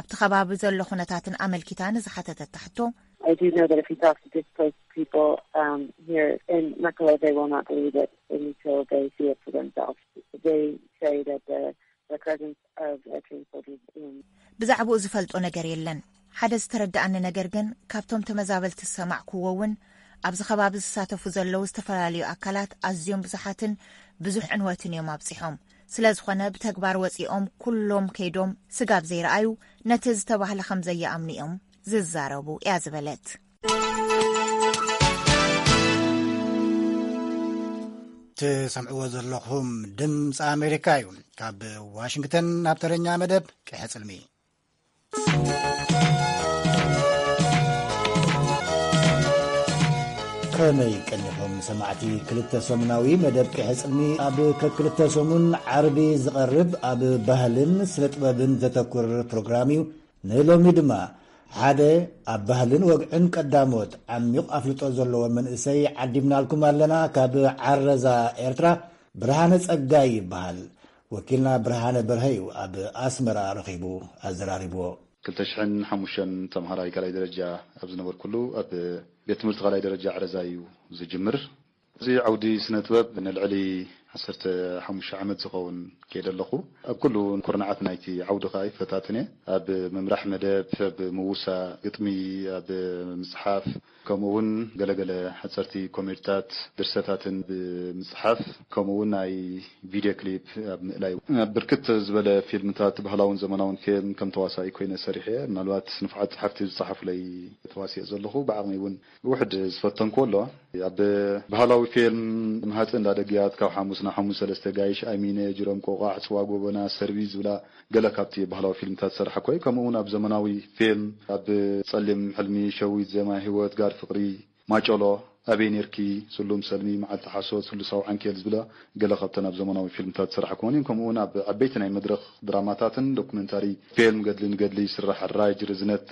ኣብቲ ከባቢ ዘሎ ኩነታትን ኣመልኪታ ንዝሓተተታ ሕቶ I do know that if you talk to displaced people um, here in Mekelle, they will not believe it until they see it for themselves. They say that the, the presence of Eritrean soldiers in ብዛዕባኡ ዝፈልጦ ነገር የለን። ሓደ ዝተረድኣኒ ነገር ግን ካብቶም ተመዛበልቲ ዝሰማዕክዎ እውን ኣብዚ ከባቢ ዝሳተፉ ዘለዉ ዝተፈላለዩ ኣካላት ኣዝዮም ብዙሓትን ብዙሕ ዕንወትን እዮም ኣብጺሖም። ስለ ዝኾነ ብተግባር ወጺኦም ኩሎም ከይዶም ስጋብ ዘይረኣዩ ነቲ ዝተባህለ ከም ዘይኣምኑ እዮም ዝዛረቡ እያ ዝበለት። ትሰምዕዎ ዘለኹም ድምፂ ኣሜሪካ እዩ። ካብ ዋሽንግተን ናብ ተረኛ መደብ ቅሐ ፅልሚ። ከመይ ቀኒኹም ሰማዕቲ? ክልተ ሰሙናዊ መደብ ቅሐ ፅልሚ ኣብ ከክልተ ሰሙን ዓርቢ ዝቐርብ ኣብ ባህልን ስነ ጥበብን ዘተኩር ፕሮግራም እዩ። ንሎሚ ድማ ሓደ ኣብ ባህልን ወግዕን ቀዳሞት ዓሚቕ ኣፍልጦ ዘለዎ መንእሰይ ዓዲምናልኩም ኣለና። ካብ ዓረዛ ኤርትራ ብርሃነ ጸጋይ ይበሃል። ወኪልና ብርሃነ በርሀ እዩ ኣብ ኣስመራ ረኺቡ ኣዘራሪብዎ። ክልተ ሽሕን ሓሙሽተን ተምሃራይ ካልኣይ ደረጃ ኣብ ዝነበርኩሉ ኣብ ቤት ትምህርቲ ካልኣይ ደረጃ ዓረዛ እዩ ዝጅምር። እዚ ዓውዲ ስነ ጥበብ ንልዕሊ ዓሰርተ ሓሙሽተ ዓመት ዝኸውን ከይደ ኣለኹ። ኣብ ኩሉ ኩርናዓት ናይቲ ዓውዲ ከኣ ይፈታትን እየ። ኣብ ምምራሕ መደብ፣ ኣብ ምውሳእ ግጥሚ፣ ኣብ ምጽሓፍ፣ ከምኡ እውን ገለገለ ሓጸርቲ ኮሜድታት፣ ድርሰታትን ብምጽሓፍ፣ ከምኡ እውን ናይ ቪድዮ ክሊፕ ኣብ ምእላይ፣ ኣብ ብርክት ዝበለ ፊልምታት፣ ባህላውን ዘመናውን ፊልም ከም ተዋሳኢ ኮይነ ሰሪሐ እየ። ምናልባት ንፉዓት ጸሓፍቲ ዝጸሓፉለይ ተዋሲኦ ዘለኹ፣ ብዓቕመይ እውን ውሕድ ዝፈተንኩ ኣሎ። ኣብ ባህላዊ ፊልም፣ መሃጽ እንዳ ደግያት፣ ካብ ሓሙስ ናብ ሓሙስ ሰለስተ፣ ጋይሽ ኣሚነ፣ ጅሮም ቆቋዕ፣ ጽዋ ጎበና፣ ሰርቪስ ዝብላ ገለ ካብቲ ባህላዊ ፊልምታት ዝሰርሓ ኮይ፣ ከምኡ እውን ኣብ ዘመናዊ ፊልም፣ ኣብ ጸሊም ሕልሚ፣ ሸዊት፣ ዜማ ህይወት፣ ጋር ፍቕሪ፣ ማጨሎ፣ ኣበይ ኔርኪ፣ ስሉም ሰልሚ፣ መዓልቲ ሓሶት፣ ስሉሳዊ ዓንኬል ዝብላ ገለ ካብተን ኣብ ዘመናዊ ፊልምታት ዝሰርሓ ክኾን እየን። ከምኡ እውን ኣብ ዓበይቲ ናይ መድረኽ ድራማታትን ዶኩመንታሪ ፊልም፣ ገድሊ ንገድሊ ይስራሕ፣ ራጅ ርዝነት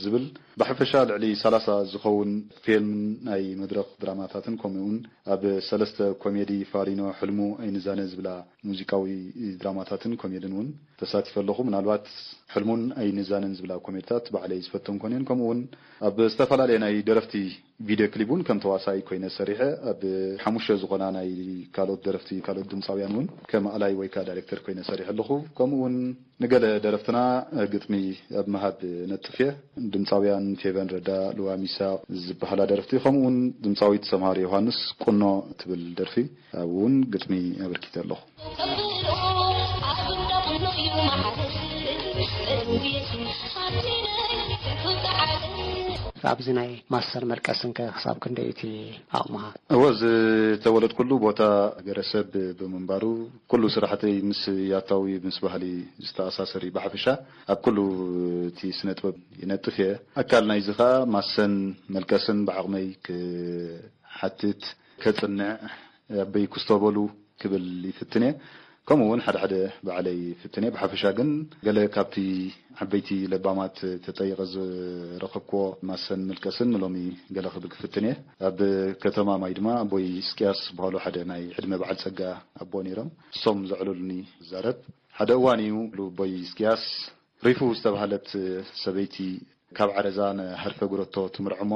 ዝብል ብሓፈሻ ልዕሊ ሰላሳ ዝኸውን ፊልም ናይ መድረኽ ድራማታትን ከምኡ እውን ኣብ ሰለስተ ኮሜዲ ፋሪኖ፣ ሕልሙ፣ ኣይንዛነ ዝብላ ሙዚቃዊ ድራማታትን ኮሜድን እውን ተሳቲፈ ኣለኹ። ምናልባት ሕልሙን ኣይንዛነን ዝብላ ኮሜድታት ባዕለይ ዝፈተን ኮነን። ከምኡ እውን ኣብ ዝተፈላለየ ናይ ደረፍቲ ቪድዮ ክሊፕ እውን ከም ተዋሳኢ ኮይነ ሰሪሐ። ኣብ ሓሙሽተ ዝኾና ናይ ካልኦት ደረፍቲ፣ ካልኦት ድምፃውያን እውን ከም ኣላይ ወይ ከዓ ዳይሬክተር ኮይነ ሰሪሐ ኣለኹ። ከምኡ እውን ንገለ ደረፍትና ግጥሚ ኣብ ምሃብ ነጥፍ እየ። ድምፃውያን ፌቨን ረዳ፣ ልዋ ሚሳቕ ዝበሃላ ደረፍቲ፣ ከምኡ እውን ድምፃዊት ሰምሃር ዮሃንስ ቁኖ ትብል ደርፊ ኣብ እውን ግጥሚ ኣበርኪተ ኣለኹ። ኣብዚ ናይ ማስተር መልቀስን ከ ክሳብ ክንደይ እቲ ኣቕምኻ? እወ፣ ዝተወለድኩሉ ቦታ ገረሰብ ብምንባሩ፣ ኩሉ ስራሕተይ ምስ ያታዊ ምስ ባህሊ ዝተኣሳሰር እዩ። ብሓፈሻ ኣብ ኩሉ እቲ ስነ ጥበብ ይነጥፍ እየ። ኣካል ናይዚ ኸኣ ማሰን መልቀስን ብዓቕመይ ክሓትት፣ ከጽንዕ፣ ኣበይ ክስተበሉ ክብል ይፍትን እየ። ከምኡ እውን ሓደ ሓደ ባዕለይ ፍትን እየ። ብሓፈሻ ግን ገለ ካብቲ ዓበይቲ ለባማት ተጠይቐ ዝረኸብክዎ ማሰን ምልቀስን ንሎሚ ገለ ክብል ክፍትን እየ። ኣብ ከተማ ማይ ድማ ኣቦይ እስቅያስ ዝበሃሉ ሓደ ናይ ዕድመ በዓል ጸጋ ኣቦ ነይሮም። እሶም ዘዕለሉኒ ዝዛረብ። ሓደ እዋን እዩ፣ ኣቦይ እስቅያስ ሪፉ ዝተባህለት ሰበይቲ ካብ ዓረዛ ንሃርፈ ጉረቶ ትምርዖ እሞ፣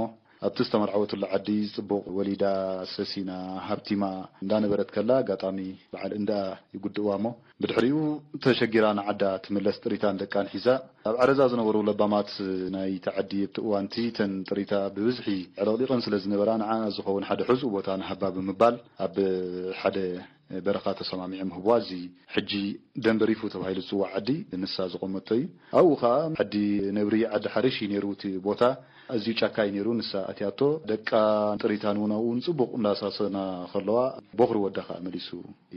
ኣብቲ ዝተመርዓወትሉ ዓዲ ጽቡቕ ወሊዳ፣ ሰሲና፣ ሃብቲማ እንዳነበረት ከላ፣ ኣጋጣሚ በዓል እንዳ ይጉድእዋ እሞ፣ ብድሕሪኡ ተሸጊራ ንዓዳ ትምለስ፣ ጥሪታን ደቃን ሒዛ። ኣብ ዓረዛ ዝነበሩ ለባማት ናይቲ ዓዲ ኣብቲ እዋንቲ፣ እተን ጥሪታ ብብዝሒ ዕለቕሊቐን ስለ ዝነበራ፣ ንዓ ዝኸውን ሓደ ሕጹእ ቦታ ንሃባ ብምባል፣ ኣብ ሓደ በረኻ ተሰማሚዖም ህብዋ። እዚ ሕጂ ደንበሪፉ ተባሂሉ ዝጽዋዕ ዓዲ ንሳ ዝቖመቶ እዩ። ኣብኡ ኸኣ ዓዲ ነብሪ፣ ዓዲ ሓርሽ እዩ ነይሩ እቲ ቦታ። ኣዝዩ ጫካ እዩ ነይሩ። ንሳ ኣትያቶ፣ ደቃ ጥሪታን እውን ኣብኡ ጽቡቕ እንዳሳሰና ከለዋ፣ ቦኽሪ ወዳ ኸኣ መሊሱ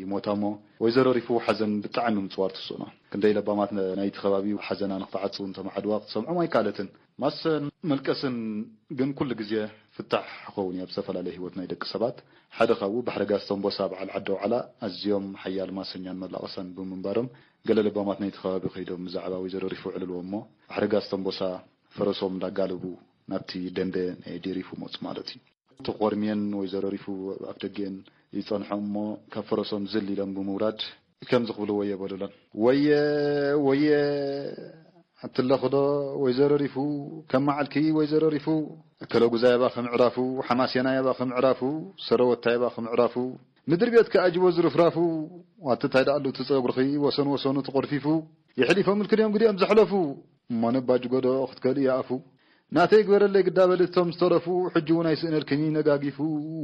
ይሞታ እሞ፣ ወይዘሮ ሪፉ ሓዘን ብጣዕሚ ምጽዋር ትስእኖ። ክንደይ ለባማት ነ-፣ ናይቲ ከባቢ ሓዘና ንኽትዓጽው እንተመዓድዋ ክትሰምዖም ኣይከኣለትን። ማሰን መልቀስን ግን ኩሉ ግዜ ፍታሕ ክኸውን እዩ። ኣብ ዝተፈላለየ ህይወት ናይ ደቂ ሰባት ሓደ ካብኡ ባሕሪ ጋስተንቦሳ በዓል ዓዲ ኣውዓላ ኣዝዮም ሓያል ማሰኛን መላቐሳን ብምንባሮም፣ ገለ ለባማት ናይቲ ከባቢ ከይዶም ብዛዕባ ወይዘሮ ሪፉ ዕልልዎ እሞ፣ ባሕሪ ጋስተንቦሳ ፈረሶም እንዳጋለቡ ናብቲ ደንበ ናይ ኣዴ ሪፉ መጹ ማለት እዩ። ተቖርምየን ወይዘሮ ሪፉ ኣፍ ደገን ይጸንሖም እሞ፣ ካብ ፈረሶም ዝል ኢሎም ብምውራድ ከምዚ ክብሉ ወየ በሉለን። ወየ፣ ወየ፣ ኣትለኽዶ ወይዘሮ ሪፉ፣ ከም መዓልኪ ወይዘሮ ሪፉ፣ እከለጉዛይ ኣባኺ ምዕራፉ፣ ሓማሴናይ ኣባኺ ምዕራፉ፣ ሰረወታይ ኣባኺ ምዕራፉ፣ ምድሪ ቤትኪ ኣጅቦ ዝርፍራፉ፣ ዋትታይ ደኣሉ እቲ ጸጉርኺ ወሰን ወሰኑ ተቖርፊፉ፣ የሕሊፎምልኪ ድዮም ግዲኦም ዘሕለፉ፣ እሞ ነባጅጎ ዶ ክትከልኢ ኣፉ፣ ናተይ ግበረለይ ግዳ በሊ እቶም ዝተረፉ፣ ሕጂ እውን ኣይስእነልክን እዩ ነጋጊፉ፣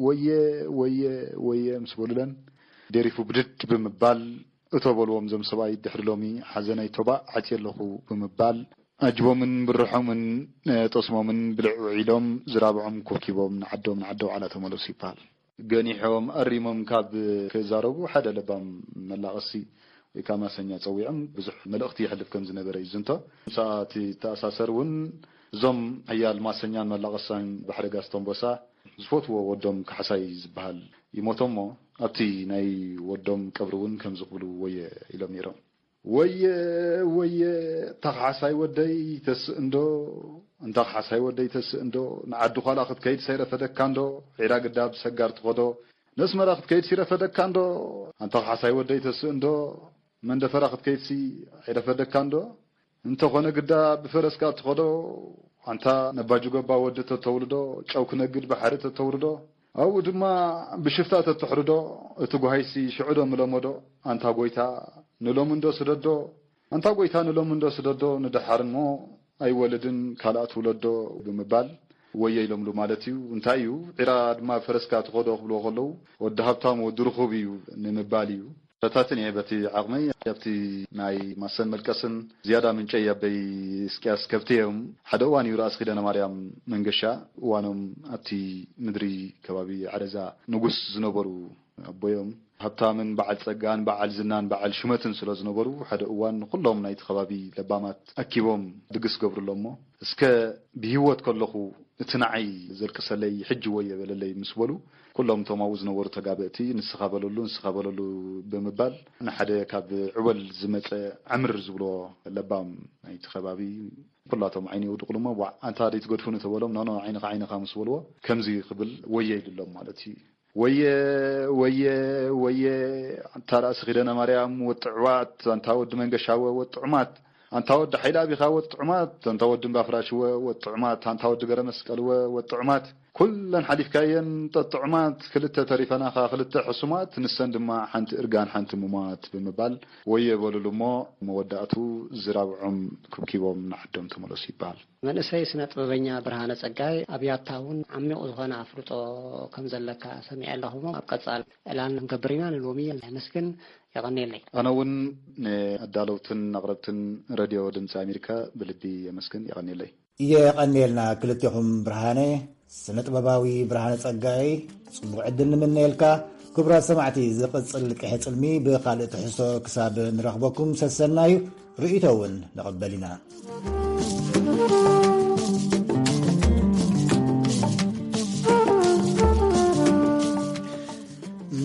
ወየ፣ ወየ፣ ወየ ምስ በሉለን፣ ደሪፉ ብድድ ብምባል፣ እቶ በልዎም እዞም ሰብኣይ ድሕሪ ሎሚ ሓዘነይ ቶባእ ዓትየ ኣለኹ ብምባል፣ ኣጅቦምን ብርሖምን፣ እ፣ ጠስሞምን ብልዕ ውዒሎም፣ ዝራብዖም ኮብኪቦም ንዓዶም፣ ንዓዲ ኣውዓላ ተመለሱ ይበሃል። ገኒሖም ኣሪሞም ካብ ክዛረቡ ሓደ ለባም መላቐሲ ወይ ከዓ ማሰኛ ጸዊዖም ብዙሕ መልእኽቲ የሕልፍ ከም ዝነበረ እዩ ዝንቶ። ምስኣ እቲ ተኣሳሰር እውን እዞም ሓያል ማሰኛን መላቐሳን ባሕሪ ጋስተንቦሳ ዝፈትዎ ወዶም ካሕሳይ ዝበሃል ይሞቶ እሞ ኣብቲ ናይ ወዶም ቀብሪ እውን ከምዚ ክብሉ ወየ ኢሎም ነይሮም። ወየ፣ ወየ፣ እንታ ካሕሳይ ወደይ ተስእ እንዶ፣ እንታ ካሕሳይ ወደይ ተስእ እንዶ፣ ንዓዲ ዃላ ክትከይድ ሰይረፈደካ እንዶ፣ ዒራ ግዳ ብሰጋር ትኸዶ፣ ነስመራ ክትከይድ ሲረፈደካ እንዶ፣ ኣንታ ካሕሳይ ወደይ ተስእ እንዶ፣ መንደፈራ ክትከይድሲ ኣይረፈደካ እንዶ፣ እንተኾነ ግዳ ብፈረስካ ትኸዶ፣ ኣንታ ነባጅጎባ ወዲ ተተውልዶ፣ ጨው ክነግድ ባሕሪ ተተውርዶ፣ ኣብኡ ድማ ብሽፍታ ተተሕርዶ፣ እቲ ጓሃይሲ ሽዑ ዶ ምለመዶ፣ ኣንታ ጎይታ ንሎሚ እንዶ ስደዶ፣ ኣንታ ጎይታ ንሎሚ እንዶ ስደዶ፣ ንደሓር እሞ ኣይወልድን ካልኣት ውለዶ ብምባል ወየ ኢሎምሉ ማለት እዩ። እንታይ እዩ፣ ዒራ ድማ ፈረስካ ትኸዶ ክብልዎ ከለዉ፣ ወዲ ሃብታም ወዲ ርኹብ እዩ ንምባል እዩ። ፈታትን እየ በቲ ዓቕመይ። ኣብቲ ናይ ማሰን መልቀስን ዝያዳ ምንጨይ ኣበይ እስቅያስ ከብቲ እዮም። ሓደ እዋን እዩ ራእሲ ኪዳነ ማርያም መንገሻ፣ እዋኖም ኣብቲ ምድሪ ከባቢ ዓረዛ ንጉስ ዝነበሩ ኣቦዮም፣ ሃብታምን በዓል ጸጋን በዓል ዝናን በዓል ሹመትን ስለ ዝነበሩ፣ ሓደ እዋን ንኹሎም ናይቲ ከባቢ ለባማት ኣኪቦም ድግስ ገብሩሎም እሞ፣ እስከ ብህይወት ከለኹ እቲ ንዓይ ዘልቅሰለይ ሕጂ ወየ በለለይ ምስ በሉ፣ ኩሎም እቶም ኣብኡ ዝነበሩ ተጋበእቲ፣ "ንስኻ በለሉ፣ ንስኻ በለሉ" ብምባል፣ ንሓደ ካብ ዕወል ዝመጸ ዓምር ዝብሎ ለባም ናይቲ ከባቢ፣ ኩላቶም ዓይኒ የውድቑሉ እሞ፣ "ዋዕ፣ ኣንታ ደይትገድፉኒ" ተበሎም፣ "ኖ፣ ኖ፣ ዓይንኻ ዓይንኻ" ምስ በልዎ፣ ከምዚ ክብል ወየ ኢሉሎም ማለት እዩ። "ወየ፣ ወየ፣ ወየ፣ ኣንታ ራእሲ ኪዳነ ማርያም ወጥዕዋት፣ ኣንታ ወዲ መንገሻወ ወጥዑማት፣ ኣንታ ወዲ ሓይለ ኣቢኻ ወጥዑማት፣ ኣንታ ወዲ እምባፍራሽወ ወጥዑማት፣ ኣንታ ወዲ ገረ መስቀልወ ወጥዑማት፣ ኩለን ሓሊፍካየን ጠጥዑማት፣ ክልተ ተሪፈናኻ ክልተ ሕሱማት፣ ንሰን ድማ ሓንቲ እርጋን ሓንቲ ሙማት" ብምባል ወየ በሉሉ እሞ፣ መወዳእቱ ዝራብዖም ኩብኪቦም ንዓዶም ተመለሱ ይበሃል። መንእሰይ ስነ ጥበበኛ ብርሃነ ጸጋይ ኣብ ያታ እውን ዓሚቕ ዝኾነ ኣፍልጦ ከም ዘለካ ሰሚዐ ኣለኹ እሞ፣ ኣብ ቀጻል ዕላል ክንገብር ኢና። ንሎሚ ነመስግን። የቐንየለይ። ኣነ እውን ንኣዳለውትን ኣቕረብትን ሬድዮ ድምፂ ኣሜሪካ ብልቢ የመስግን። የቐንየለይ። የቐንየልና ክልቴኹም ብርሃነ። ስነ ጥበባዊ ብርሃነ ጸጋይ፣ ጽቡቕ ዕድል ንምነየልካ። ክቡራት ሰማዕቲ፣ ዝቕጽል ቅሐ ጽልሚ ብኻልእ ትሕዝቶ ክሳብ ንረኽበኩም ሰሰናዩ ርእይቶ እውን ንቕበል ኢና።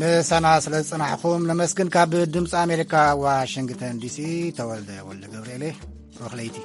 ምሳና ስለ ዝጸናሕኩም ነመስግን። ካብ ድምጺ ኣሜሪካ ዋሽንግተን ዲሲ፣ ተወልደ ወልደ ገብርኤል። ሩኽ ለይቲ።